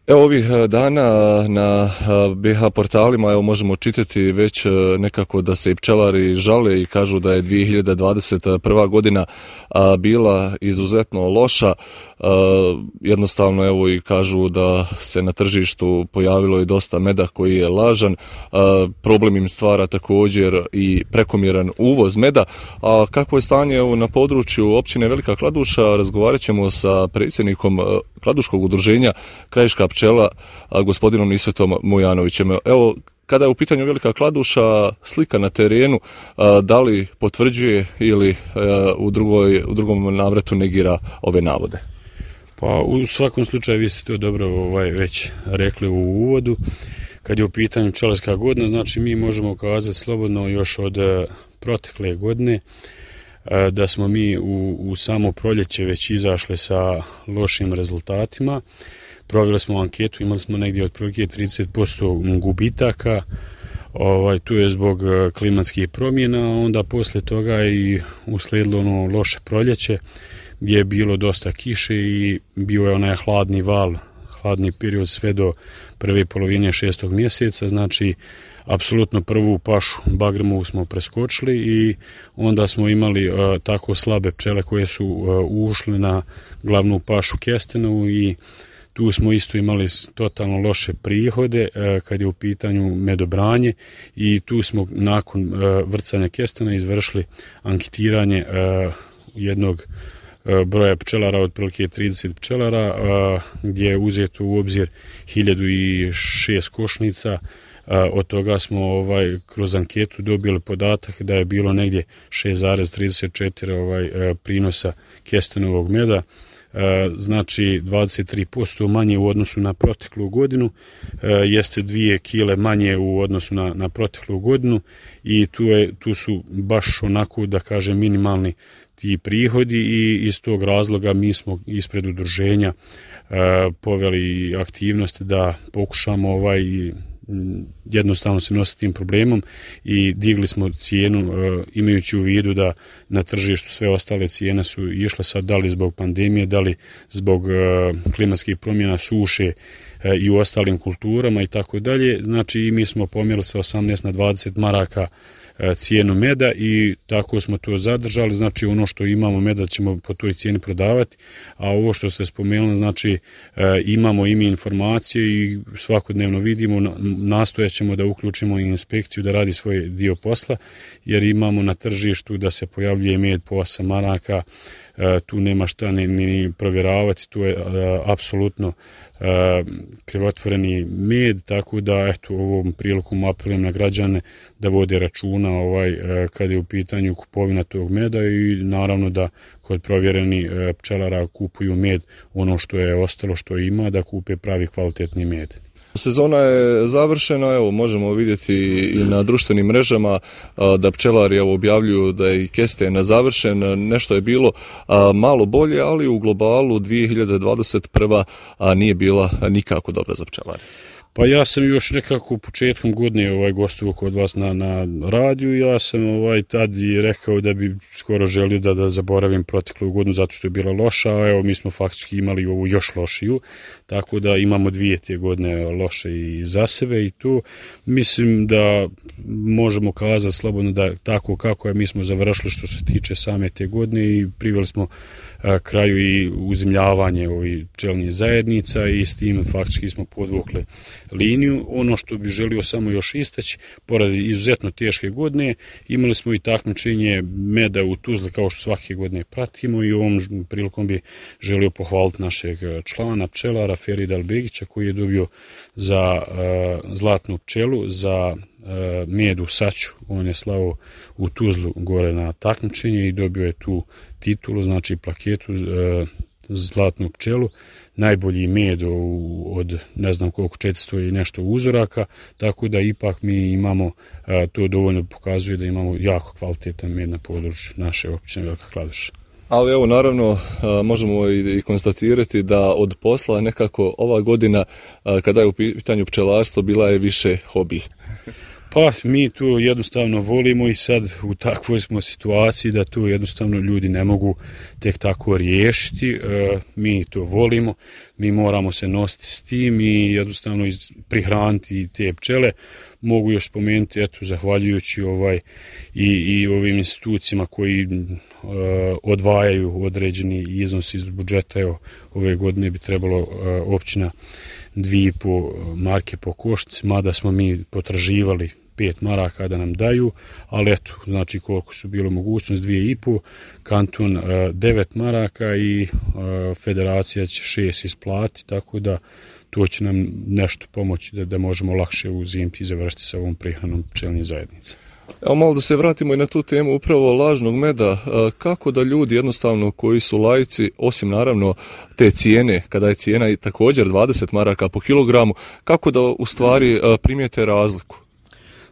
Evo ovih dana na BH portalima možemo čitati već nekako da se i pčelari žale i kažu da je 2021. godina bila izuzetno loša. Jednostavno evo i kažu da se na tržištu pojavilo i dosta meda koji je lažan. Problem im stvara također i prekomjeran uvoz meda. A kakvo je stanje na području općine Velika Kladuša, razgovarat ćemo sa predsjednikom Kladuškog udruženja Krajiška pčela, gospodinom Isvetom Mujanovićem. Evo, kada je u pitanju Velika Kladuša, slika na terenu, da li potvrđuje ili u drugom navratu negira ove navode? Pa u svakom slučaju vi ste to dobro već rekli u uvodu. Kad je u pitanju pčelarska godina, znači mi možemo kazati slobodno još od protekle godine da smo mi u samo proljeće već izašli sa lošim rezultatima. Proveli smo anketu, imali smo negdje otprilike 30% gubitaka. Tu je zbog klimatskih promjena, a onda poslije toga i uslijedilo ono loše proljeće gdje je bilo dosta kiše i bio je onaj hladni val, hladni period sve do prve polovine 6. mjeseca, znači apsolutno prvu pašu Bagremovu smo preskočili i onda smo imali tako slabe pčele koje su ušle na glavnu pašu Kestenovu i tu smo isto imali totalno loše prihode kad je u pitanju medobranje i tu smo nakon vrcanja kestena izvršili anketiranje jednog broja pčelara, otprilike 30 pčelara, gdje je uzeto u obzir 1006 košnica. Od toga smo kroz anketu dobili podatak da je bilo negdje 6,34 prinosa kestenovog meda, znači 23% manje u odnosu na proteklu godinu, jeste 2 kile manje u odnosu na proteklu godinu i tu su baš onako da kažem minimalni ti prihodi i iz tog razloga mi smo ispred udruženja poveli aktivnosti da pokušamo jednostavno se nositi tim problemom i digli smo cijenu imajući u vidu da na tržištu sve ostale cijene su išle sad da li zbog pandemije, da li zbog klimatskih promjena, suše i u ostalim kulturama i tako dalje. Znači i mi smo pomjerili sa 18 na 20 maraka cijenu meda i tako smo to zadržali, znači ono što imamo meda ćemo po toj cijeni prodavati, a ovo što ste spomenuli, znači imamo i mi informacije i svakodnevno vidimo, nastojat ćemo da uključimo i inspekciju da radi svoj dio posla, jer imamo na tržištu da se pojavljuje med po 8 maraka, tu nema šta ni provjeravati, tu je apsolutno krivotvoreni med, tako da eto ovom prilikom apelujem na građane da vode računa kada je u pitanju kupovina tog meda i naravno da kod provjereni pčelara kupuju med ono što je ostalo što ima, da kupe pravi kvalitetni med. Sezona je završena, evo možemo vidjeti i na društvenim mrežama da pčelari objavljuju da je i kesten završen, nešto je bilo malo bolje, ali u globalu 2021. nije bila nikako dobra za pčelare. Pa ja sam još nekako početkom godine gostovao kod vas na radiju, ja sam tad i rekao da bi skoro želio da zaboravim proteklu godinu zato što je bila loša, a evo mi smo faktički imali ovu još lošiju, tako da imamo 2 te godine loše i za sebe i tu mislim da možemo kazati slobodno da tako kako je mi smo završili što se tiče same te godine i priveli smo kraju i uzemljavanje pčelnih zajednica i s tim faktički smo podvukli liniju. Ono što bi želio samo još istaći, pored izuzetno teške godine, imali smo i takmičenje meda u Tuzli kao što svake godine pratimo i ovom prilikom bi želio pohvaliti našeg člana pčelara Ferida Albegića koji je dobio za zlatnu pčelu, za med u saću. On je slao u Tuzlu gore na takmičenje i dobio je tu titulu, znači plaketu zlatnu pčelu, najbolji med od ne znam koliko 400 i nešto uzoraka, tako da ipak mi imamo, to dovoljno pokazuje da imamo jako kvalitetan med na području naše općine Velika Kladuša. Ali evo naravno možemo i konstatirati da od posla nekako ova godina kada je u pitanju pčelarstvo bila je više hobi. Pa mi to jednostavno volimo i sad u takvoj smo situaciji da to jednostavno ljudi ne mogu tek tako riješiti. Mi to volimo, mi moramo se nositi s tim i jednostavno prihraniti te pčele. Mogu još spomenuti, eto, zahvaljujući i ovim institucijama koji odvajaju određeni iznos iz budžeta. Evo, ove godine bi trebalo općina 2,5 marke po košnici, mada smo mi potraživali 5 maraka da nam daju, ali eto, znači koliko su bilo mogućnost, 2,5, kanton 9 maraka i federacija će 6 isplati, tako da to će nam nešto pomoći da možemo lakše uzimiti i završiti sa ovom prihranom pčelinje zajednice. Evo malo da se vratimo i na tu temu upravo lažnog meda. Kako da ljudi jednostavno koji su laici, osim naravno te cijene, kada je cijena i također 20 maraka po kilogramu, kako da u stvari primijete razliku?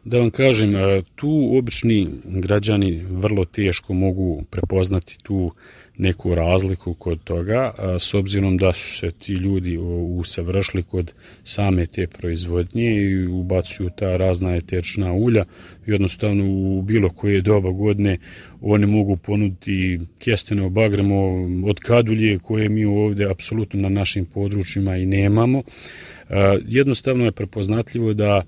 Da vam kažem, tu obični građani vrlo teško mogu prepoznati tu neku razliku kod toga, s obzirom da su se ti ljudi usavršili kod same te proizvodnje i ubacuju ta razna eterična ulja. Jednostavno u bilo koje doba godine oni mogu ponuditi kesteno bagremo od kadulje koje mi ovdje apsolutno na našim područjima i nemamo. Jednostavno je prepoznatljivo da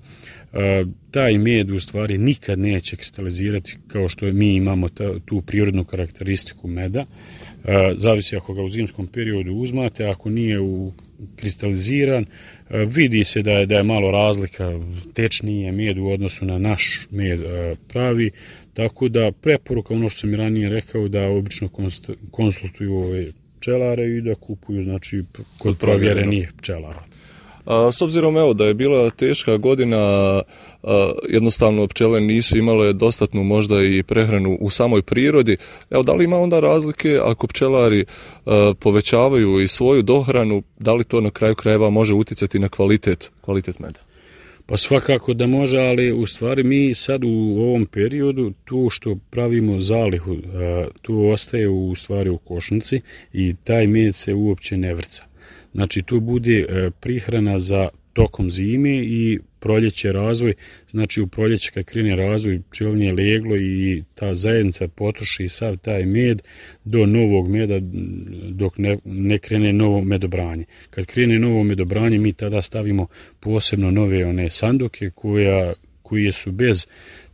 taj med u stvari nikad neće kristalizirati kao što mi imamo tu prirodnu karakteristiku meda. Zavisi ako ga u zimskom periodu uzmate, ako nije kristaliziran, vidi se da je malo razlika, tečniji je med u odnosu na naš med pravi, tako da preporuka, ono što sam i ranije rekao, da obično konsultuju ove pčelare i da kupuju, znači, kod provjerenih pčelara. S obzirom evo da je bila teška godina, jednostavno pčele nisu imale dostatnu možda i prehranu u samoj prirodi. Evo, da li ima onda razlike ako pčelari povećavaju i svoju dohranu, da li to na kraju krajeva može utjecati na kvalitet meda? Pa svakako da može, ali u stvari mi sad u ovom periodu tu što pravimo zalihu, tu ostaje u stvari u košnici i taj med se uopće ne vrca. Znači tu bude prihrana za tokom zime i proljeće razvoj, znači u proljeće kad krene razvoj pčelinje leglo i ta zajednica potroši sav taj med do novog meda dok ne krene novo medobranje. Kad krene novo medobranje mi tada stavimo posebno nove one sanduke koje su bez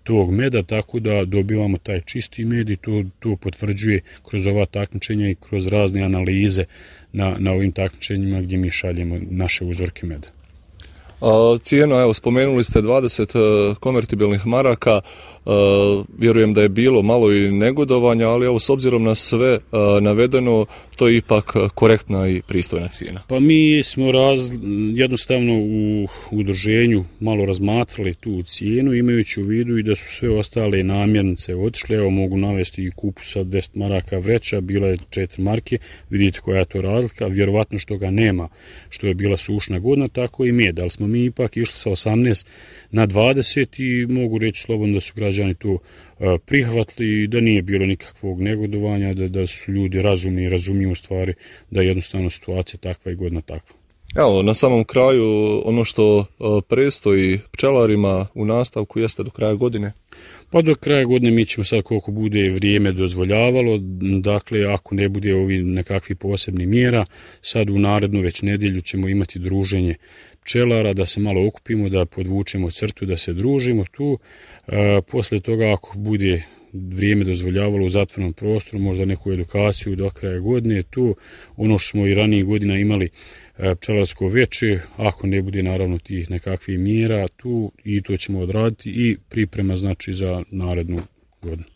tog meda, tako da dobivamo taj čisti med i to potvrđuje kroz ova takmičenja i kroz razne analize na ovim takmičenjima gdje mi šaljemo naše uzorke meda. Cijena, evo, spomenuli ste 20 konvertibilnih maraka, vjerujem da je bilo malo i negodovanja, ali evo, s obzirom na sve navedeno, to je ipak korektna i pristojna cijena. Pa mi smo jednostavno u udruženju malo razmatrali tu cijenu, imajući u vidu i da su sve ostale namirnice otišle. Evo, mogu navesti i kupus od 10 maraka vreća, bila je 4 marke, vidite koja je to razlika, vjerovatno što ga nema, što je bila sušna godina, tako i med, ali smo mi ipak išli sa 18 na 20 i mogu reći slobodno da su građani to prihvatili i da nije bilo nikakvog negodovanja, da su ljudi razumni i razumiju u stvari da je jednostavno situacija takva i godina takva. Evo, na samom kraju ono što predstoji pčelarima u nastavku jeste do kraja godine? Pa do kraja godine mi ćemo sad koliko bude vrijeme dozvoljavalo, dakle ako ne bude ovi nekakvi posebni mjera, sad u narednu već nedjelju ćemo imati druženje pčelara, da se malo okupimo, da podvučemo crtu, da se družimo tu. Poslije toga ako bude vrijeme dozvoljavalo u zatvorenom prostoru, možda neku edukaciju do kraja godine, tu ono što smo i ranije godina imali pčelarsko veče, ako ne bude naravno tih nekakvih mjera tu i to ćemo odraditi i priprema znači za narednu godinu.